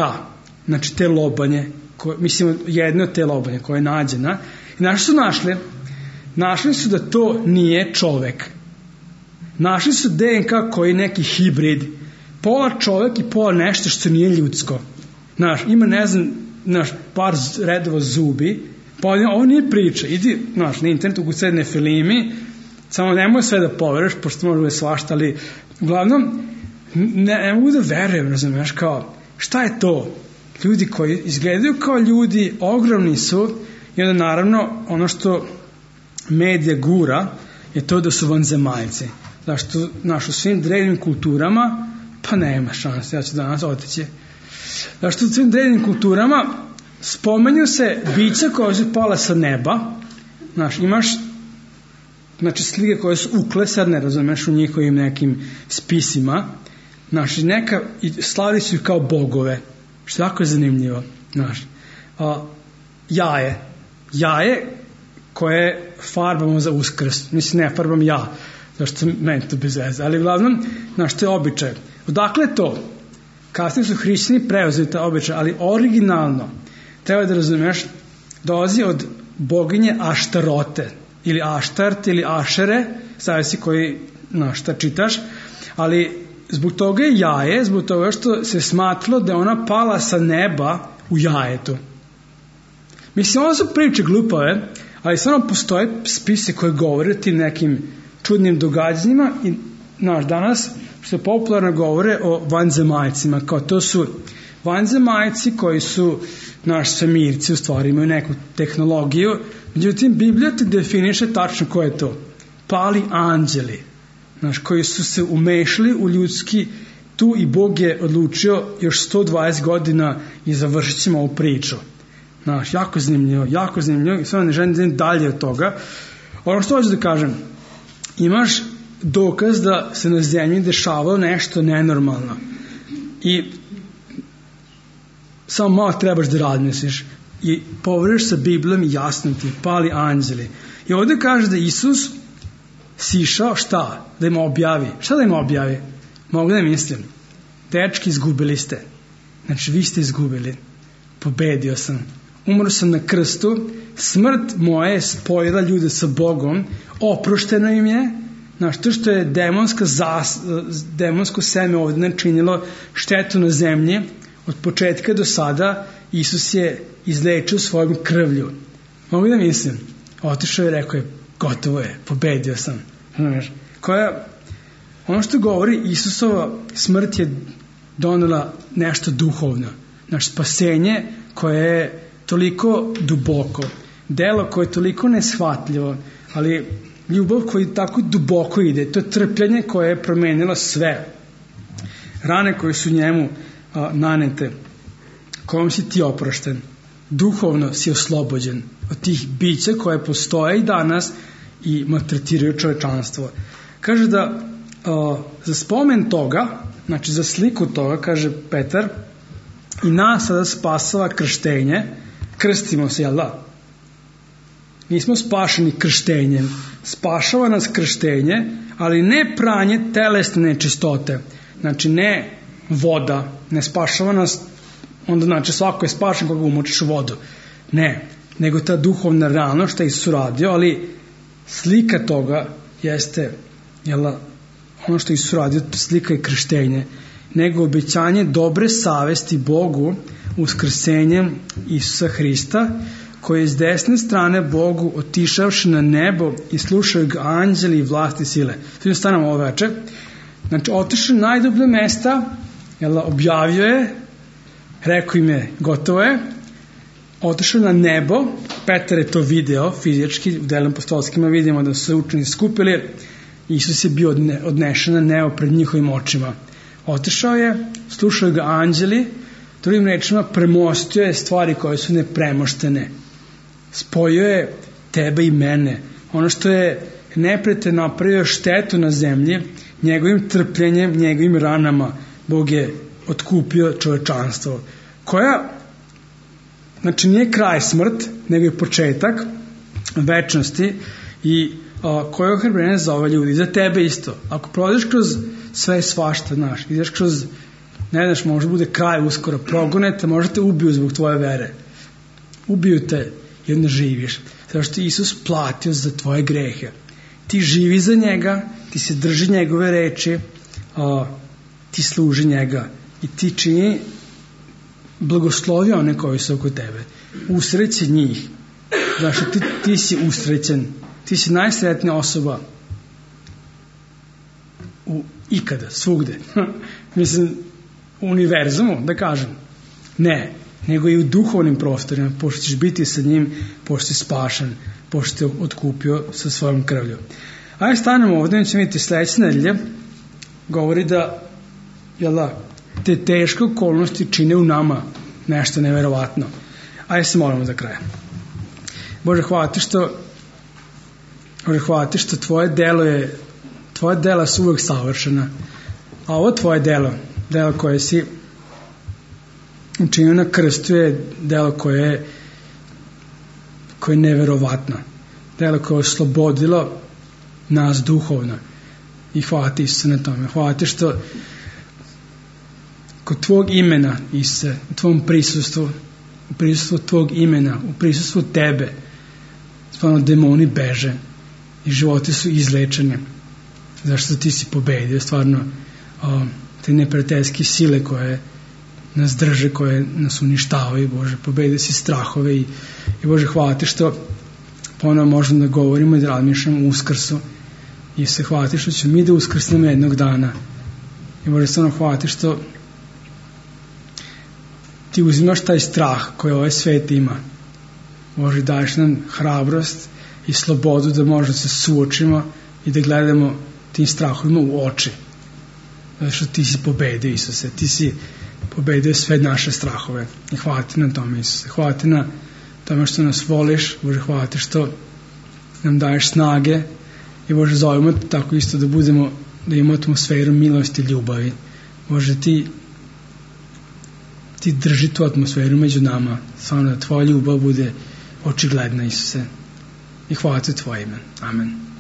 znači te lobanje, mislim, jedne od te lobanje koja je nađena. I znaš što su našli? Našli su da to nije čovek. Našli su DNK koji je neki hibrid, pola čovek i pola nešto što nije ljudsko. Ima, par redova zubi, pa ovo nije priča, idi, na internetu ukucaj Nefilimi, samo nemoj sve da poveruješ, pošto može da je svašta, ali uglavnom ne mogu da verujem, razumiješ, kao, šta je to? ljudi koji izgledaju kao ljudi, ogromni su, i onda naravno ono što medija gura je to da su vanzemaljci. Zašto u svim drevnim kulturama, pa nema šanse, ja ću danas otići. Zašto u svim drevnim kulturama spomenju se bića koja su pala sa neba, imaš slike koje su uklesane, razumeš, u njihovim nekim spisima, slavili su ih kao bogove, što jako je zanimljivo. Jaje koje farbamo za Uskrs, mislim ne farbam ja, zašto meni to bez veze, ali uglavnom, to je običaj. Odakle to? Kasnije su hrišćani preuzeli ta običaj, ali originalno, treba da razumeš, dolazi od boginje Aštarote, ili Aštart, ili Ašere, zavisi koji, šta čitaš, ali zbog toga je jaje, zbog toga što se smatralo da je ona pala sa neba u jajetu. Mislim, ovo su priče glupave, ali samo postoje spise koje govore o tim nekim čudnim događanjima i danas što popularno govore o vanzemaljcima, kao to su vanzemaljci koji su svemirci, u stvari imaju neku tehnologiju, međutim Biblija ti definiše tačno ko je to. Pali anđeli, koji su se umešali u ljudski tu i Bog je odlučio još 120 godina i završit ćemo ovu priču. Jako zanimljivo i sve ne želim dalje od toga. Ono što hoću da kažem, imaš dokaz da se na zemlji dešavalo nešto nenormalno i samo malo trebaš da razmisliš i poveriš sa Biblijom i jasno ti pali anđeli. I ovdje kaže da Isus sišao šta? Da im objavi. Šta da im objavi? Mogu da mislim. Dečki, izgubili ste. Vi ste izgubili. Pobedio sam. Umro sam na krstu. Smrt moja je spojila ljude sa Bogom. Oprošteno im je. To što je demonsko seme ovdje načinilo štetu na zemlji, od početka do sada Isus je izlečio svojom krvlju. Mogu da mislim. Otišao je i rekao je, gotovo je, pobedio sam. Ono što govori, Isusova smrt je donela nešto duhovno. Spasenje koje je toliko duboko, delo koje je toliko neshvatljivo, ali ljubav koja tako duboko ide, to je trpljenje koje je promenilo sve. Rane koje su njemu nanete, kojom si ti oprošten, duhovno si oslobođen od tih bića koje postoje i danas i maltretiraju čovečanstvo. Kaže da za spomen toga, za sliku toga, kaže Petar, i nas sada spasava krštenje, krstimo se, jel da? Nismo spašeni krštenjem, spašava nas krštenje, ali ne pranje telesne nečistote, ne voda, ne spašava nas, onda svako je spašen koga umočiš u vodu, ne, nego ta duhovna realnost što je Isus uradio, ali slika toga jeste, ono što je Isus uradio, slika je krštenje, nego obećanje dobre savesti Bogu uskrsenjem Isusa Hrista, koji je s desne strane Bogu otišavši na nebo i slušaju ga anđeli i vlasti sile. Tu stanemo ovo veče. Otišao na najdublje mesta, objavio je, rekao im je, gotovo je, otišao na nebo, Petar je to video fizički, u delom apostolskima vidimo da su se učenici skupili, Isus je bio odnešen na nebo pred njihovim očima. Otišao je, slušao ga anđeli, drugim rečima premostio je stvari koje su nepremoštene. Spojio je tebe i mene. Ono što je neprijatelj napravio štetu na zemlji, njegovim trpljenjem, njegovim ranama, Bog je otkupio čovečanstvo. Koja, nije kraj smrt, nego je početak večnosti i koja je ohrabrenje za ove ljudi, za tebe isto. Ako prođeš kroz sve svašta, ideš kroz, ne znaš, možda bude kraj uskoro, progonete, možda te ubiju zbog tvoje vere. Ubiju te i onda živiš. Zato što Isus platio za tvoje grehe. Ti živi za njega, ti se drži njegove reči, ti služi njega i ti čini blagoslovi one koji su oko tebe. Usreći njih. Znači ti si usrećen. Ti si najsretnija osoba ikada, svugde. Mislim, u univerzumu, da kažem. Ne, nego i u duhovnim prostorima, pošto ćeš biti sa njim, pošto si spašen, pošto te otkupio sa svojom krvlju. Ajde stanemo ovdje, mi ćemo vidjeti sledeće nedelje, govori da te teške okolnosti čine u nama nešto neverovatno. Ajde se molimo za kraj. Bože, hvala ti što tvoje dela su uvek savršena, a ovo tvoje delo koje si učinio na krstu je delo koje je neverovatno, delo koje je oslobodilo nas duhovno, i hvala ti, Isuse, na tome. Hvala ti što kod tvog imena, Isuse, u tvom prisustvu, u prisustvu tvog imena, u prisustvu tebe, stvarno demoni beže i životi su izlečeni, zašto ti si pobedio stvarno te neprijateljske sile koje nas drže, koje nas uništavaju. Bože, pobedio si strahove i Bože, hvala ti što ponovno možemo da govorimo i da razmišljamo o uskrsu, i se hvala ti što ćemo mi da uskrsnemo jednog dana. I Bože, stvarno hvala ti što ti uzimaš taj strah koji ovaj svet ima. Bože, daješ nam hrabrost i slobodu da možemo se suočimo i da gledamo tim strahovima u oči. Zato što ti si pobedio, Isuse, ti si pobedio sve naše strahove. I hvala ti na tome, Isuse. Hvala ti na tome što nas voliš. Bože, hvala ti što nam daješ snage. I Bože, zovemo tako isto da imamo atmosferu milosti i ljubavi. Bože, ti drži tu atmosferu među nama, samo da tvoja ljubav bude očigledna, Isuse. I hvala ti u tvoje ime. Amen.